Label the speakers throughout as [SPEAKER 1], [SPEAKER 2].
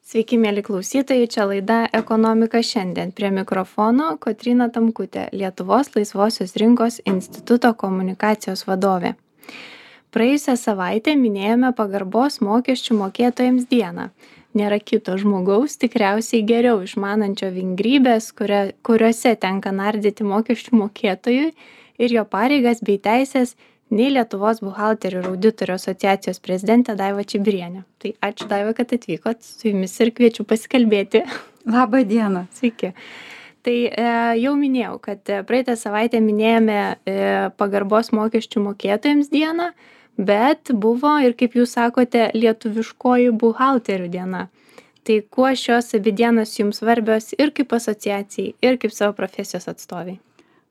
[SPEAKER 1] Sveiki, mėly klausytojai, čia laida Ekonomika šiandien. Prie mikrofono Kotryna Tamkutė, Lietuvos laisvosios rinkos instituto komunikacijos vadovė. Praėjusią savaitę minėjome pagarbos mokesčių mokėtojams dieną. Nėra kito žmogaus, tikriausiai geriau išmanančio vingrybės, kuriuose tenka nardyti mokesčių mokėtojui ir jo pareigas bei teisės, nei Lietuvos buhalterių ir auditorių asociacijos prezidentė Daiva Čibirienė. Tai ačiū Daiva, kad atvykot su jumis ir kviečiu pasikalbėti.
[SPEAKER 2] Labą dieną.
[SPEAKER 1] Sveiki. Tai jau minėjau, kad praeitą savaitę minėjome pagarbos mokesčių mokėtojams dieną, bet buvo ir, kaip jūs sakote, lietuviškoji buhalterių diena. Tai kuo šios abi dienos jums svarbios ir kaip asociacijai, ir kaip savo profesijos atstoviai?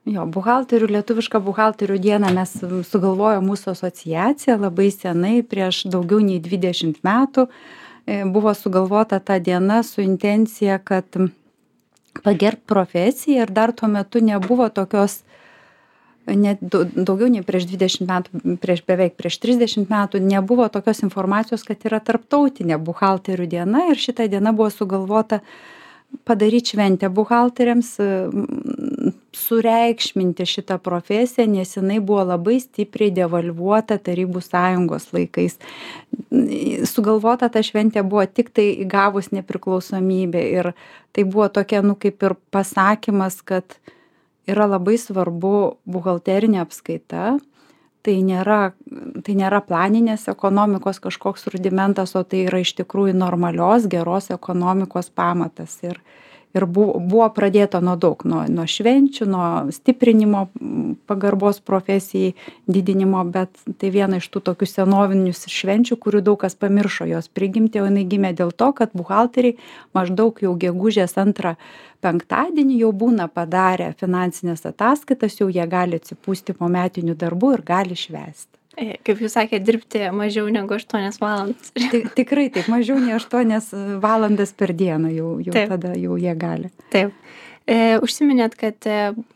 [SPEAKER 2] Lietuvišką buhalterių dieną mes sugalvojom mūsų asociacija labai senai, prieš daugiau nei 20 metų. Buvo sugalvota ta diena su intencija, kad pagerbt profesiją ir dar tuo metu nebuvo tokios, net daugiau nei prieš 20 metų, beveik prieš 30 metų nebuvo tokios informacijos, kad yra tarptautinė buhalterių diena ir šita diena buvo sugalvota padaryti šventę buhalteriams, sureikšminti šitą profesiją, nes jinai buvo labai stipriai devalvuota Tarybų Sąjungos laikais. Sugalvota ta šventė buvo tik tai įgavus nepriklausomybę ir tai buvo tokia, kaip ir pasakymas, kad yra labai svarbu buhalterinė apskaita. Tai nėra planinės ekonomikos kažkoks rudimentas, o tai yra iš tikrųjų normalios, geros ekonomikos pamatas. Ir buvo pradėta nuo daug, nuo švenčių, nuo stiprinimo pagarbos profesijai, didinimo, bet tai viena iš tų tokių senovinių švenčių, kurių daug kas pamiršo jos prigimtį, o jinai gimė dėl to, kad buhalteriai maždaug jau gegužės 2 penktadienį jau būna padarę finansinės ataskaitas, jau jie gali atsipūsti po metinių darbų ir gali švęsti.
[SPEAKER 1] Kaip jūs sakėte, dirbti mažiau negu 8 valandas.
[SPEAKER 2] Tikrai taip, mažiau nei 8 valandas per dieną jau tada jau jie gali.
[SPEAKER 1] Taip. Užsiminėt, kad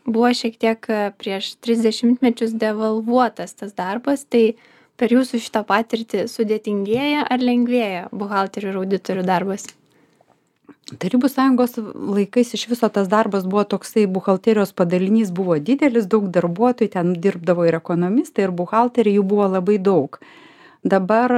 [SPEAKER 1] buvo šiek tiek prieš 30 mečius devalvuotas tas darbas, tai per jūsų šitą patirtį sudėtingėja ar lengvėja buhalterių ir auditorių darbas?
[SPEAKER 2] Tarybų Sąjungos laikais iš viso tas darbas buvo toksai, buhalterijos padalinys buvo didelis, daug darbuotojų, ten dirbdavo ir ekonomistai, ir buhalteriai, jų buvo labai daug. Dabar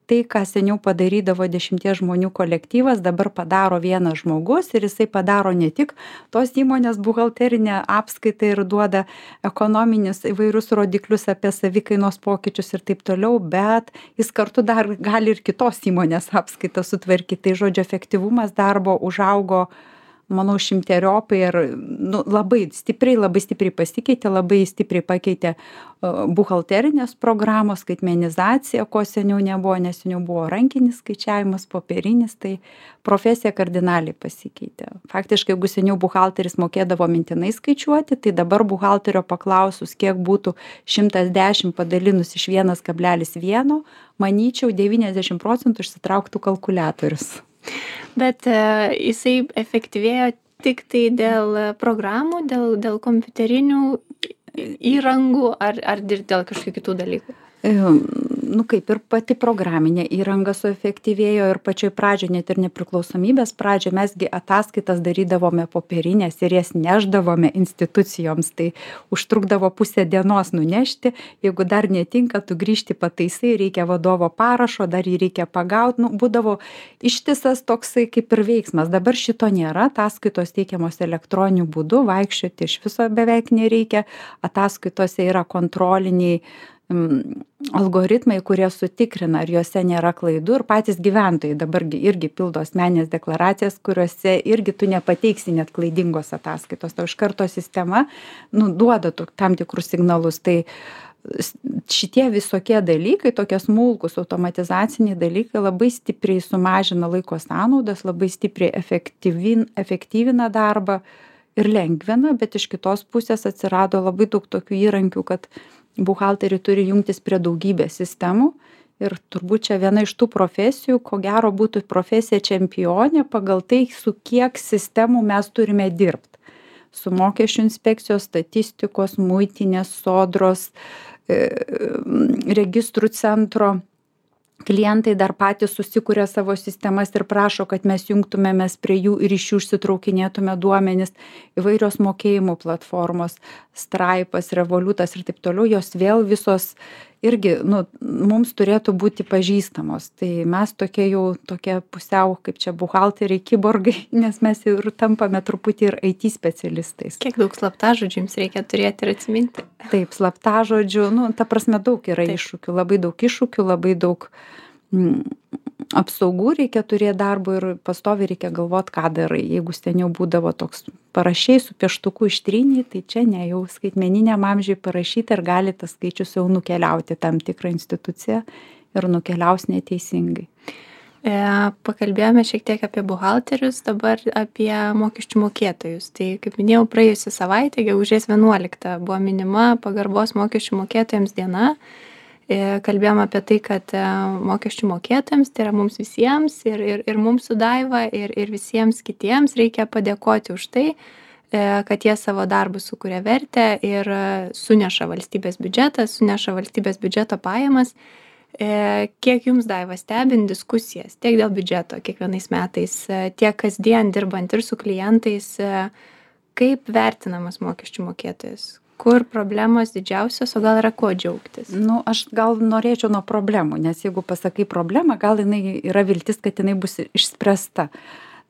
[SPEAKER 2] tai, ką seniau padarydavo 10 žmonių kolektyvas, dabar padaro vienas žmogus ir jisai padaro ne tik tos įmonės buhalterinę apskaitą ir duoda ekonominius įvairius rodiklius apie savikainos pokyčius ir taip toliau, bet jis kartu dar gali ir kitos įmonės apskaitą sutvarkyti. Tai žodžio efektyvumas darbo užaugo, manau, šimteriopai ir labai stipriai pasikeitė, labai stipriai pakeitė buhalterinės programos, skaitmenizacija, ko seniau nebuvo, nes seniau buvo rankinis skaičiavimas, popierinis, tai profesija kardinaliai pasikeitė. Faktiškai, jeigu seniau buhalteris mokėdavo mintinai skaičiuoti, tai dabar buhalterio paklausus, kiek būtų 110 padalinus iš 1,1, manyčiau, 90% išsitrauktų kalkuliatorius.
[SPEAKER 1] Bet jisai efektyvėjo tik tai dėl programų, dėl kompiuterinių įrangų ar dėl kažkokių kitų dalykų?
[SPEAKER 2] Kaip ir pati programinė įranga suefektyvėjo ir pačioj pradžioj, net ir nepriklausomybės pradžioj, mesgi ataskaitas darydavome popierinės ir jas neždavome institucijoms, tai užtrukdavo pusę dienos nunešti, jeigu dar netinka, tu grįžti pataisai, reikia vadovo parašo, dar jį reikia pagauti, būdavo ištisas toksai kaip ir veiksmas. Dabar šito nėra, ataskaitos teikiamos elektroniniu būdu, vaikščioti iš viso beveik nereikia, ataskaitose yra kontroliniai algoritmai, kurie sutikrina, ar juose nėra klaidų, ir patys gyventojai dabar irgi pildo asmeninės deklaracijas, kuriuose irgi tu nepateiksi net klaidingos ataskaitos. Tai iš karto sistema duoda tam tikrus signalus. Tai šitie visokie dalykai, tokie smulkus automatizaciniai dalykai labai stipriai sumažina laiko sąnaudas, labai stipriai efektyvina darbą ir lengvina, bet iš kitos pusės atsirado labai daug tokių įrankių, kad buhalteriai turi jungtis prie daugybės sistemų ir turbūt čia viena iš tų profesijų, ko gero būtų profesija čempionė pagal tai, su kiek sistemų mes turime dirbti. Su mokesčių inspekcijos, statistikos, muitinės, sodros, registrų centro klientai dar patys susikuria savo sistemas ir prašo, kad mes jungtumėmės prie jų ir iš jų išsitraukinėtume duomenis, įvairios mokėjimų platformos, Stripe'as, Revolutas ir taip toliau, jos vėl visos irgi, mums turėtų būti pažįstamos. Tai mes tokie pusiau, kaip čia buhalteriai, kiborgai, nes mes ir tampame truputį ir IT specialistais.
[SPEAKER 1] Kiek daug slaptažodžių jums reikia turėti ir atsiminti?
[SPEAKER 2] Taip, slaptažodžių, ta prasme daug yra iššūkių, labai daug apsaugų reikia turėti darbo ir pastoviai reikia galvoti, ką darai. Jeigu seniau būdavo toks parašiai su pieštuku ištryniai, tai čia ne, jau skaitmeniniam amžiui parašyti ir gali tas skaičius jau nukeliauti tam tikrą instituciją ir nukeliaus neteisingai.
[SPEAKER 1] Pakalbėjome šiek tiek apie buhalterius, dabar apie mokesčių mokėtojus. Tai, kaip minėjau, praėjusią savaitę, gegužės 11 buvo minima pagarbos mokesčių mokėtojams diena. Kalbėjom apie tai, kad mokesčių mokėtojams, tai yra mums visiems ir mums su Daiva ir visiems kitiems reikia padėkoti už tai, kad jie savo darbų sukuria vertę ir suneša valstybės biudžetą, suneša valstybės biudžeto pajamas. Kiek jums, Daiva, stebint diskusijas tiek dėl biudžeto kiekvienais metais, tiek kasdien dirbant ir su klientais, kaip vertinamas mokesčių mokėtojas? Kur problemos didžiausios, o gal yra ko džiaugtis?
[SPEAKER 2] Aš gal norėčiau nuo problemų, nes jeigu pasakai problemą, gal jinai yra viltis, kad jinai bus išspręsta.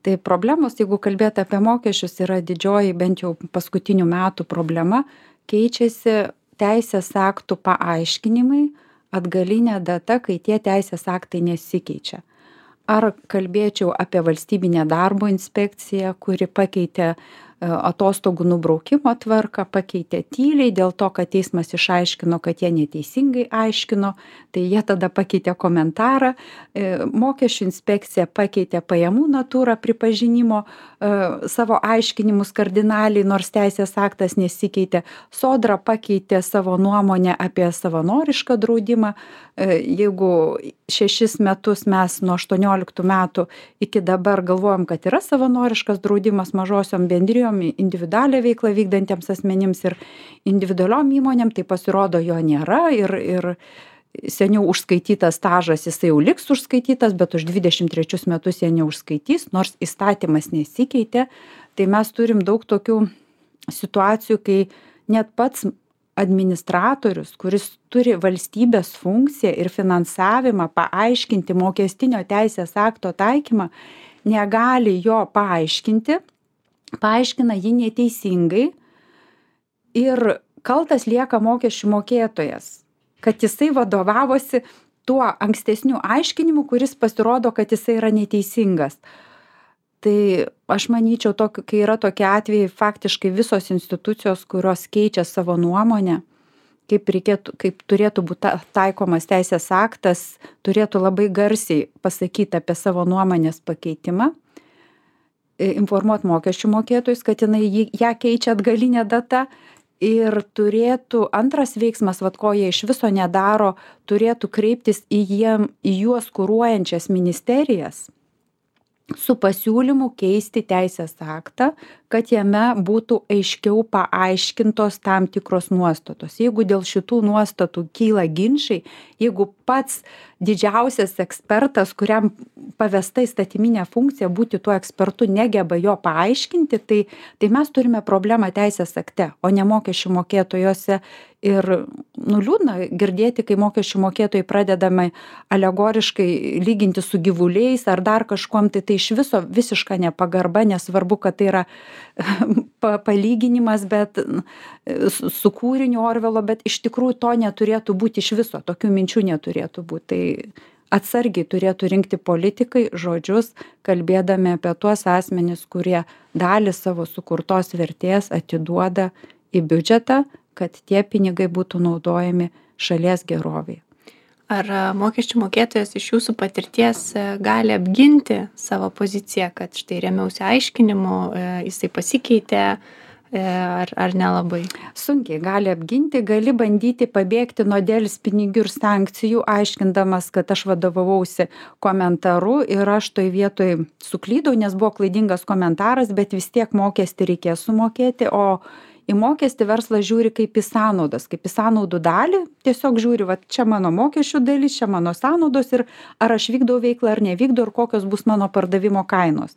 [SPEAKER 2] Tai problemos, jeigu kalbėti apie mokesčius, yra didžioji, bent jau paskutinių metų problema, keičiasi teisės aktų paaiškinimai, atgalinė data, kai tie teisės aktai nesikeičia. Ar kalbėčiau apie valstybinę darbo inspekciją, kuri pakeitė atostogų nubraukimo tvarką, pakeitė tyliai dėl to, kad teismas išaiškino, kad jie neteisingai aiškino, tai jie tada pakeitė komentarą, mokesčių inspekcija pakeitė pajamų natūrą pripažinimo savo aiškinimus kardinaliai, nors teisės aktas nesikeitė, Sodra pakeitė savo nuomonę apie savanorišką draudimą, jeigu 6 metus mes nuo 18 metų iki dabar galvojam, kad yra savanoriškas draudimas mažosiom bendrijom, individualią veiklą vykdantiems asmenims ir individualiom įmonėm, tai pasirodo jo nėra ir seniau užskaitytas stažas, jisai jau liks užskaitytas, bet už 23 metus jie neužskaitys, nors įstatymas nesikeitė. Tai mes turim daug tokių situacijų, kai net pats administratorius, kuris turi valstybės funkciją ir finansavimą paaiškinti mokestinio teisės akto taikymą, negali jo paaiškinti, paaiškina jį neteisingai ir kaltas lieka mokesčių mokėtojas, kad jisai vadovavosi tuo ankstesniu aiškinimu, kuris pasirodo, kad jisai yra neteisingas. Tai aš manyčiau, kai yra tokie atvejai, faktiškai visos institucijos, kurios keičia savo nuomonę, kaip turėtų būti taikomas teisės aktas, turėtų labai garsiai pasakyti apie savo nuomonės pakeitimą, informuoti mokesčių mokėtojus, kad ją keičia atgalinė data ir turėtų antras veiksmas, ko jie iš viso nedaro, turėtų kreiptis į juos kuruojančias ministerijas su pasiūlymu keisti teisės aktą, kad jame būtų aiškiau paaiškintos tam tikros nuostatos. Jeigu dėl šitų nuostatų kyla ginčai, jeigu pats didžiausias ekspertas, kuriam pavesta įstatyminė funkcija būti tuo ekspertu, negeba jo paaiškinti, tai mes turime problemą teisės akte, o ne mokesčių mokėtojuose. Ir liūdna girdėti, kai mokesčių mokėtojai pradedame alegoriškai lyginti su gyvuliais ar dar kažkuom, tai iš viso visiška nepagarba, nesvarbu, kad tai yra palyginimas, bet su kūriniu Orvelo, bet iš tikrųjų to neturėtų būti iš viso, tokių minčių neturėtų būti. Tai atsargiai turėtų rinkti politikai žodžius, kalbėdami apie tuos asmenis, kurie dalį savo sukurtos vertės atiduoda į biudžetą, kad tie pinigai būtų naudojami šalies geroviai.
[SPEAKER 1] Ar mokesčių mokėtojas iš jūsų patirties gali apginti savo poziciją, kad štai remiausi aiškinimu, jisai pasikeitė, ar nelabai?
[SPEAKER 2] Sunkiai gali apginti, gali bandyti pabėgti nuo delspinigių ir sankcijų, aiškindamas, kad aš vadovavausi komentaru ir aš toj vietoj suklydau, nes buvo klaidingas komentaras, bet vis tiek mokestį reikės sumokėti, o į mokestį verslas žiūri kaip į sąnaudas, kaip į sąnaudų dalį, tiesiog žiūri, va, čia mano mokesčių dalis, čia mano sąnaudos ir ar aš vykdau veiklą ar nevykdau ir kokios bus mano pardavimo kainos.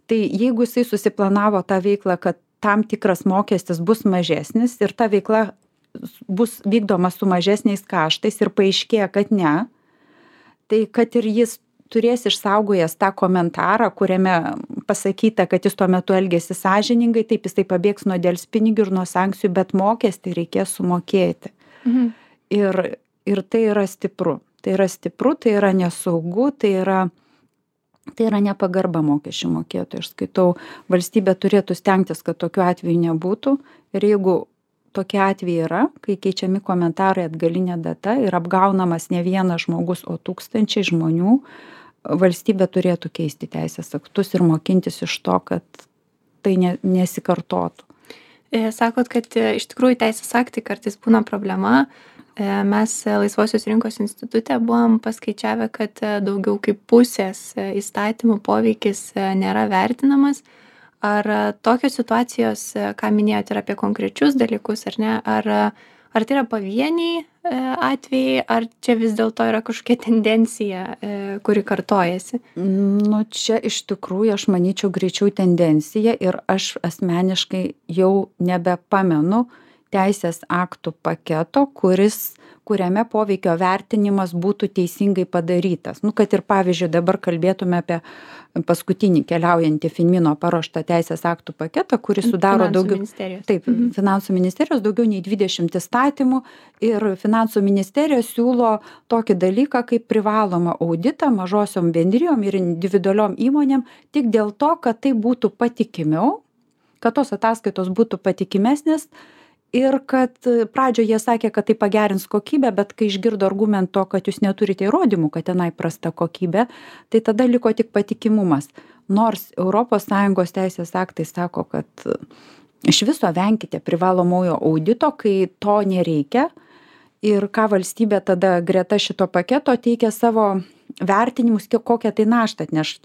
[SPEAKER 2] Tai jeigu jisai susiplanavo tą veiklą, kad tam tikras mokestis bus mažesnis ir ta veikla bus vykdoma su mažesniais kaštais ir paaiškėja, kad ne, tai kad ir jis turės išsaugojęs tą komentarą, kuriame pasakyta, kad jis tuo metu elgėsi sąžiningai, taip jisai pabėgs nuo delspinigių ir nuo sankcijų, bet mokestį reikės sumokėti. Ir tai yra stipru. Tai yra stipru, tai yra nesaugu, tai yra nepagarba mokesčių mokėtojų. Aš skaitau, valstybė turėtų stengtis, kad tokių atvejų nebūtų. Ir jeigu tokie atvejai yra, kai keičiami komentarai atgalinė data ir apgaunamas ne vienas žmogus, o tūkstančiai žmonių, valstybė turėtų keisti teisės aktus ir mokintis iš to, kad tai nesikartotų.
[SPEAKER 1] Sakot, kad iš tikrųjų teisės aktai kartais būna problema. Mes Laisvosios rinkos institute buvom paskaičiavę, kad daugiau kaip pusės įstatymų poveikis nėra vertinamas. Ar tokios situacijos, ką minėjote, yra apie konkrečius dalykus, ar ne? Ar tai yra pavieniai atvejai, ar čia vis dėlto yra kažkokia tendencija, kuri kartojasi?
[SPEAKER 2] Nu, čia iš tikrųjų, aš manyčiau, greičiau tendencija ir aš asmeniškai jau nebepamenu teisės aktų paketo, kuriame poveikio vertinimas būtų teisingai padarytas. Nu, kad ir pavyzdžiui dabar kalbėtume apie paskutinį keliaujantį Finmino paruoštą teisės aktų paketą, kuris sudaro Finansų ministerijos daugiau nei 20 įstatymų ir Finansų ministerija siūlo tokį dalyką kaip privalomą auditą mažosiom bendrijom ir individualiom įmonėm tik dėl to, kad tai būtų patikimiau, kad tos ataskaitos būtų patikimesnės. Ir kad pradžioje jie sakė, kad tai pagerins kokybę, bet kai išgirdo argumento, kad jūs neturite įrodymų, kad tenai prasta kokybė, tai tada liko tik patikimumas. Nors ES teisės aktai sako, kad iš viso venkite privalomojo audito, kai to nereikia. Ir ką valstybė tada greta šito paketo teikia savo vertinimus, kokią tai naštą atneš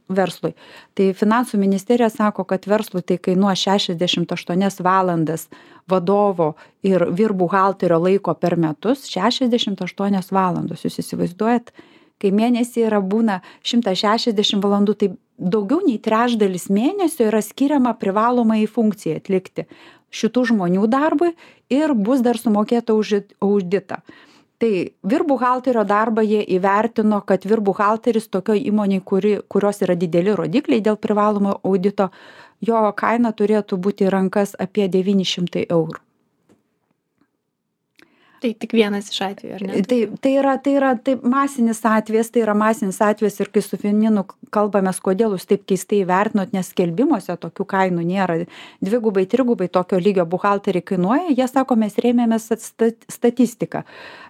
[SPEAKER 2] verslui. Tai Finansų ministerija sako, kad verslui tai kainuoja 68 valandas vadovo ir vyrbuhalterio laiko per metus, 68 valandos. Jūs įsivaizduojat, kai mėnesį būna 160 valandų, tai daugiau nei trečdalis mėnesio yra skiriama privalomai funkcijai atlikti šitų žmonių darbui ir bus dar sumokėta už auditą. Tai vyrbuhalterio darbą jie įvertino, kad vyrbuhalteris tokioj įmonėj, kurios yra dideli rodikliai dėl privalomo audito, jo kaina turėtų būti į rankas apie 900 eurų.
[SPEAKER 1] Tai tik vienas iš atvejų, ar ne?
[SPEAKER 2] Tai yra masinis atvejis ir kai su Finminu kalbamės, kodėl jūs taip keistai vertinot, nes skelbimuose tokių kainų nėra. 2-3 tokio lygio buhalteriai kainuoja, jie sako, mes rėmėmės statistiką.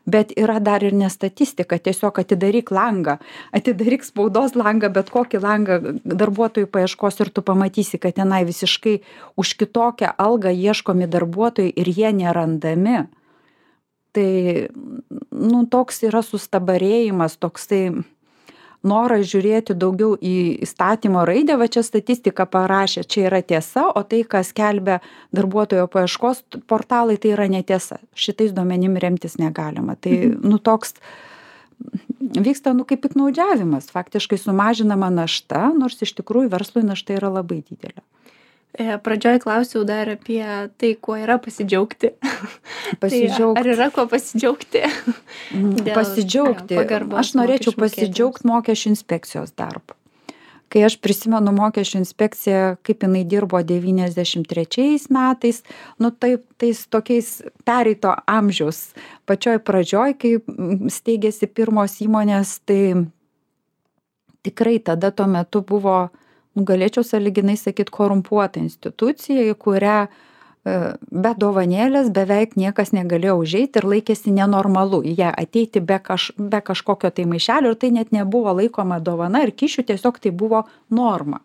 [SPEAKER 2] Bet yra dar ir ne statistika, tiesiog atidaryk langą, atidaryk spaudos langą, bet kokį langą darbuotojų paieškos ir tu pamatysi, kad tenai visiškai už kitokią algą ieškomi darbuotojai ir jie nerandami. Tai, toks yra sustabarėjimas, toksai noras žiūrėti daugiau į įstatymo raidę, va čia statistika parašė, čia yra tiesa, o tai, kas skelbia darbuotojo paieškos portalai, tai yra netiesa. Šitais duomenim remtis negalima. Tai, toks vyksta, kaip piktnaudžiavimas, faktiškai sumažinama našta, nors iš tikrųjų verslui našta yra labai didelė.
[SPEAKER 1] Pradžioj klausiau dar apie tai, kuo yra pasidžiaugti. Tai ar yra kuo pasidžiaugti?
[SPEAKER 2] Pasidžiaugti. Aš norėčiau pasidžiaugti mokesčių inspekcijos darbu. Kai aš prisimenu mokesčių inspekciją, kaip jinai dirbo 93 metais, tais tokiais pereito amžiaus pačioj pradžioj, kai steigėsi pirmos įmonės, tai tikrai tada tuo metu buvo, galėčiau sąlyginai sakyti, korumpuota institucija, į kurią be dovanėlės beveik niekas negalėjo užeiti ir laikėsi nenormalu į ją ateiti be kažkokio tai maišelio ir tai net nebuvo laikoma dovana ir kyšių, tiesiog tai buvo norma.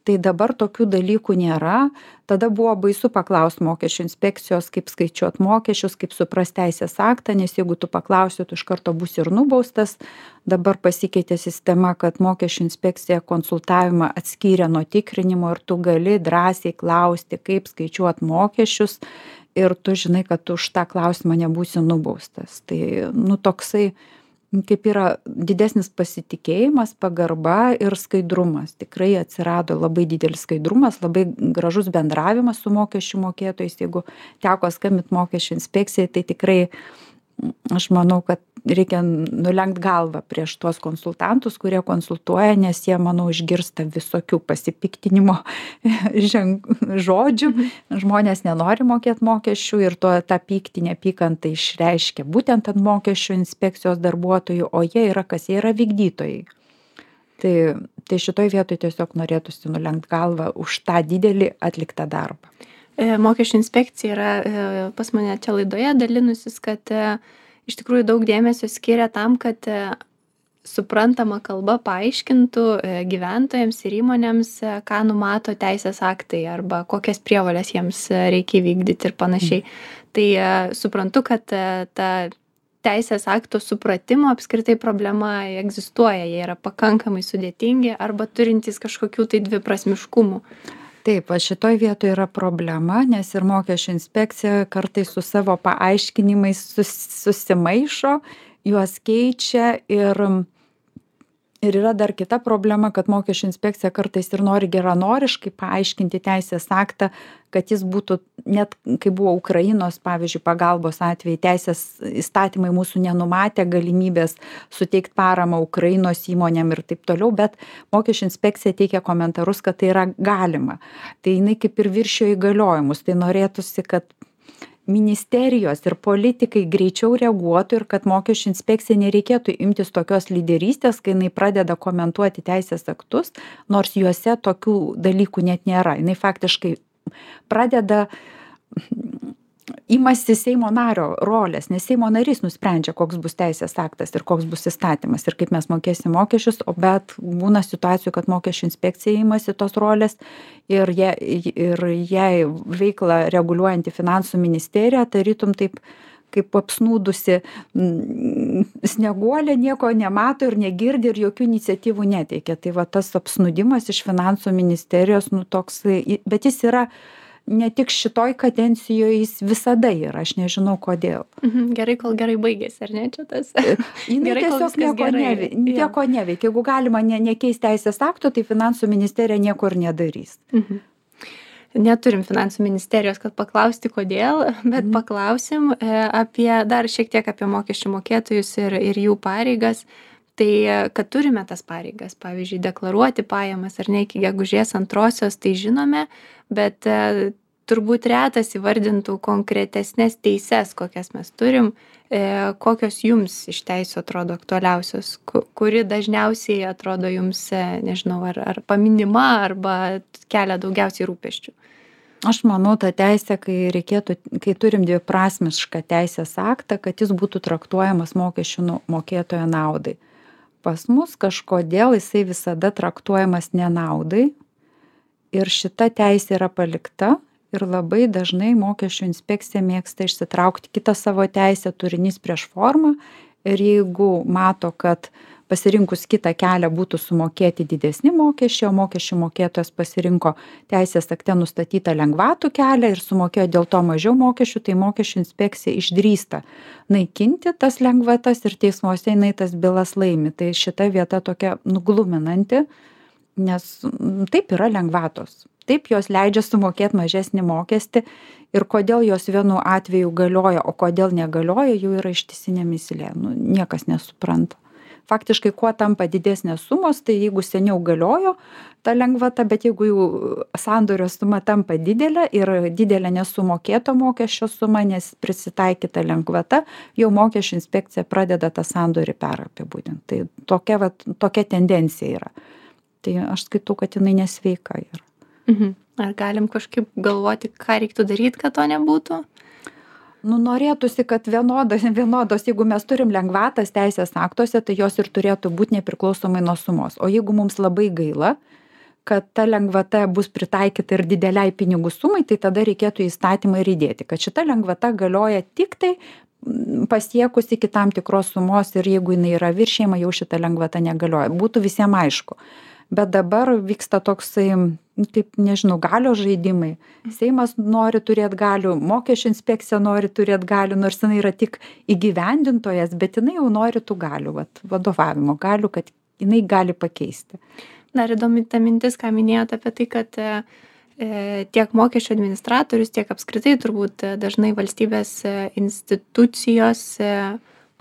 [SPEAKER 2] Tai dabar tokių dalykų nėra. Tada buvo baisu paklausti mokesčių inspekcijos, kaip skaičiuot mokesčius, kaip suprast teisės aktą, nes jeigu tu paklausi, tu iš karto būsi ir nubaustas. Dabar pasikeitė sistema, kad mokesčių inspekcija konsultavimą atskyrė nuo tikrinimo ir tu gali drąsiai klausti, kaip skaičiuot mokesčius ir tu žinai, kad tu už tą klausimą nebūsi nubaustas. Tai, toksai kaip yra didesnis pasitikėjimas, pagarba ir skaidrumas. Tikrai atsirado labai didelis skaidrumas, labai gražus bendravimas su mokesčių mokėtojais. Jeigu teko skambinti mokesčių inspekcijai, tai tikrai aš manau, kad reikia nulenkt galvą prieš tuos konsultantus, kurie konsultuoja, nes jie, manau, išgirsta visokių pasipiktinimo žodžių. Žmonės nenori mokėti mokesčių ir tą pyktį, neapykantą išreiškia būtent ant mokesčių inspekcijos darbuotojų, o jie yra kas? Jie yra vykdytojai. Tai šitoj vietoj tiesiog norėtųsi nulenkt galvą už tą didelį atliktą darbą.
[SPEAKER 1] Mokesčių inspekcija yra pas mane čia laidoje dalinusis, kad iš tikrųjų daug dėmesio skiria tam, kad suprantama kalba paaiškintų gyventojams ir įmonėms, ką numato teisės aktai arba kokias prievolės jiems reikia vykdyti ir panašiai. Tai suprantu, kad ta teisės akto supratimo apskritai problema egzistuoja, jie yra pakankamai sudėtingi arba turintys kažkokių tai dviprasmiškumų.
[SPEAKER 2] Taip, šitoj vietoje yra problema, nes ir mokesčių inspekcija kartais su savo paaiškinimais susimaišo, juos keičia ir yra dar kita problema, kad mokesčių inspekcija kartais ir nori geranoriškai paaiškinti teisės aktą, kad jis būtų, net kai buvo Ukrainos, pavyzdžiui, pagalbos atvejai, teisės įstatymai mūsų nenumatė galimybės suteikti paramą Ukrainos įmonėm ir taip toliau, bet mokesčių inspekcija teikia komentarus, kad tai yra galima. Tai jinai kaip ir viršijo įgaliojimus, tai norėtųsi, kad ministerijos ir politikai greičiau reaguotų ir kad mokesčių inspekcijai nereikėtų imtis tokios lyderystės, kai jinai pradeda komentuoti teisės aktus, nors juose tokių dalykų net nėra. Jinai faktiškai pradeda imasi Seimo nario rolės, nes Seimo narys nusprendžia, koks bus teisės aktas ir koks bus įstatymas ir kaip mes mokėsim mokesčius, bet būna situacijų, kad mokesčių inspekcija imasi tos rolės ir jai veiklą reguliuojanti finansų ministerija, tarytum taip kaip apsnūdusi snieguolė, nieko nemato ir negirdi ir jokių iniciatyvų neteikia. Tai va tas apsnūdimas iš finansų ministerijos, toks, bet jis yra ne tik šitoj kadencijoje, jis visada yra, aš nežinau kodėl.
[SPEAKER 1] Gerai, kol gerai baigėsi, ar ne čia tas?
[SPEAKER 2] Jinai tiesiog nieko neveikia. Jeigu galima nekeisti teisės akto, tai finansų ministerija nieko ir nedarys.
[SPEAKER 1] Neturim finansų ministerijos, kad paklausti kodėl, bet paklausim dar šiek tiek apie mokesčių mokėtojus ir jų pareigas. Tai, kad turime tas pareigas, pavyzdžiui, deklaruoti pajamas ar ne iki gegužės 2, tai žinome, bet turbūt retas įvardintų konkretesnės teises, kokias mes turim, kokios jums iš teisių atrodo aktualiausios, kuri dažniausiai atrodo jums, nežinau, ar paminima, arba kelia daugiausiai rūpesčių.
[SPEAKER 2] Aš manau, ta teisė, kai turim dviprasmišką teisės aktą, kad jis būtų traktuojamas mokesčių mokėtojo naudai. Pas mus kažkodėl jisai visada traktuojamas nenaudai ir šita teisė yra palikta ir labai dažnai mokesčių inspekcija mėgsta išsitraukti kitą savo teisę, turinys prieš formą ir jeigu mato, kad pasirinkus kitą kelią būtų sumokėti didesni mokesčiai, o mokesčių mokėtojas pasirinko teisės akte nustatytą lengvatų kelią ir sumokėjo dėl to mažiau mokesčių, tai mokesčių inspekcija išdrįsta naikinti tas lengvatas ir teismuose jinai tas bylas laimi. Tai šita vieta tokia nugluminanti, nes taip yra lengvatos. Taip jos leidžia sumokėti mažesnį mokestį ir kodėl jos vienu atveju galioja, o kodėl negalioja, jų yra ištisinė mįslė. Niekas nesupranta. Faktiškai, kuo tampa didesnės sumos, tai jeigu seniau galiojo ta lengvata, bet jeigu jau sandorio suma tampa didelė ir didelė nesumokėto mokesčio suma, nes prisitaikyta lengvata, jau mokesčių inspekcija pradeda tą sandorį perapibūdinti. Tai tokia tendencija yra. Tai aš skaitau, kad jinai nesveika yra.
[SPEAKER 1] Ar galim kažkaip galvoti, ką reiktų daryti, kad to nebūtų?
[SPEAKER 2] Norėtųsi, kad vienodos, jeigu mes turim lengvatas teisės aktuose, tai jos ir turėtų būti nepriklausomai nuo sumos. O jeigu mums labai gaila, kad ta lengvata bus pritaikyta ir dideliai pinigų sumai, tai tada reikėtų į įstatymą ir įdėti, kad šita lengvata galioja tik tai pasiekus iki tam tikros sumos ir jeigu jinai yra viršijama, jau šita lengvata negalioja. Būtų visiems aišku. Bet dabar vyksta toksai, taip nežinau, galios žaidimai. Seimas nori turėti galių, mokesčių inspekcija nori turėti galių, nors jinai yra tik įgyvendintojas, bet jinai jau nori tų galių, vadovavimo galių, kad jinai gali pakeisti.
[SPEAKER 1] Dar įdomi ta mintis, ką minėjote apie tai, kad tiek mokesčių administratorius, tiek apskritai turbūt dažnai valstybės institucijos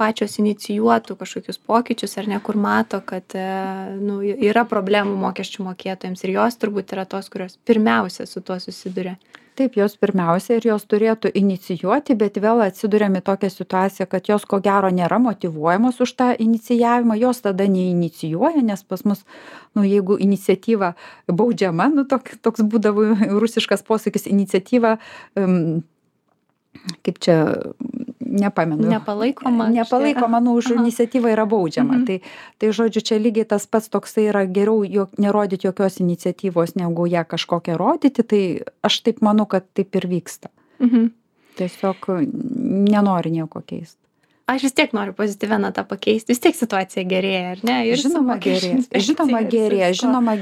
[SPEAKER 1] pačios inicijuotų kažkokius pokyčius ar ne, kur mato, kad yra problemų mokesčių mokėtojams ir jos turbūt yra tos, kurios pirmiausia su tuo susiduria.
[SPEAKER 2] Taip, jos pirmiausia ir jos turėtų inicijuoti, bet vėl atsiduriam į tokią situaciją, kad jos ko gero nėra motyvuojamos už tą inicijavimą, jos tada neinicijuoja, nes pas mus, jeigu iniciatyva baudžiama, toks būdavo rusiškas posakis, iniciatyva, kaip čia, nepamenu.
[SPEAKER 1] Nepalaikoma,
[SPEAKER 2] už iniciatyvą yra baudžiama. Tai žodžiu, čia lygiai tas pats toksai yra geriau nerodyti jokios iniciatyvos, negu ją kažkokią rodyti, tai aš taip manau, kad taip ir vyksta. Tiesiog nenori nieko keisti.
[SPEAKER 1] Aš vis tiek noriu pozityvę natą pakeisti, vis tiek situacija gerėja, ar ne? Ir
[SPEAKER 2] žinoma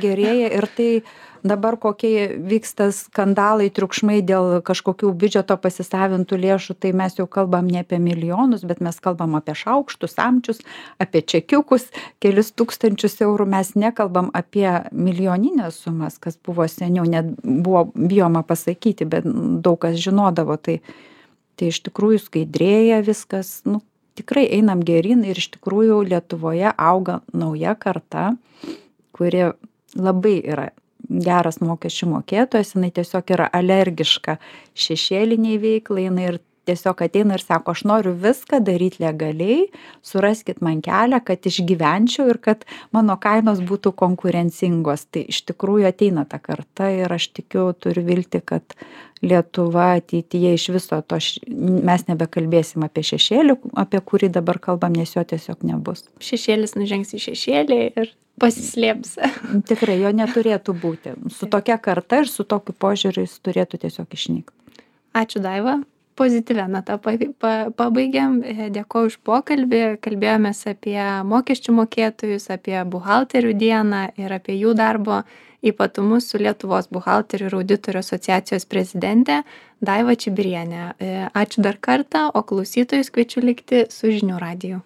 [SPEAKER 2] gerėja ir tai dabar kokie vyksta skandalai, triukšmai dėl kažkokių biudžeto pasisavintų lėšų, tai mes jau kalbam ne apie milijonus, bet mes kalbam apie šaukštus, samčius, apie čekiukus, kelis tūkstančius eurų, mes nekalbam apie milijoninės sumas, kas buvo seniau, net buvo bijoma pasakyti, bet daug kas žinodavo, tai iš tikrųjų skaidrėja viskas, tikrai einam geryn ir iš tikrųjų Lietuvoje auga nauja karta, kuri labai yra geras mokesčių mokėtojas, jinai tiesiog yra alergiška šešėliniai veiklai, jinai ir tiesiog ateina ir sako, aš noriu viską daryti legaliai, suraskit man kelią, kad išgyvenčiau ir kad mano kainos būtų konkurencingos. Tai iš tikrųjų ateina ta karta ir aš tikiu, turiu vilti, kad Lietuva ateityje iš viso to, mes nebekalbėsim apie šešėlį, apie kurį dabar kalbam, nes jo tiesiog nebus.
[SPEAKER 1] Šešėlis nužengs į šešėlį ir pasislėps.
[SPEAKER 2] Tikrai, jo neturėtų būti. Su tokia karta ir su tokiu požiūriu jis turėtų tiesiog išnykti.
[SPEAKER 1] Ačiū, Daiva. Pozityvę natą pabaigiam. Dėkoju už pokalbį. Kalbėjomės apie mokesčių mokėtojus, apie buhalterių dieną ir apie jų darbo ypatumus su Lietuvos buhalterių ir auditorių asociacijos prezidentė Daiva Čibirienė. Ačiū dar kartą, o klausytojus kviečiu likti su Žinių radiju.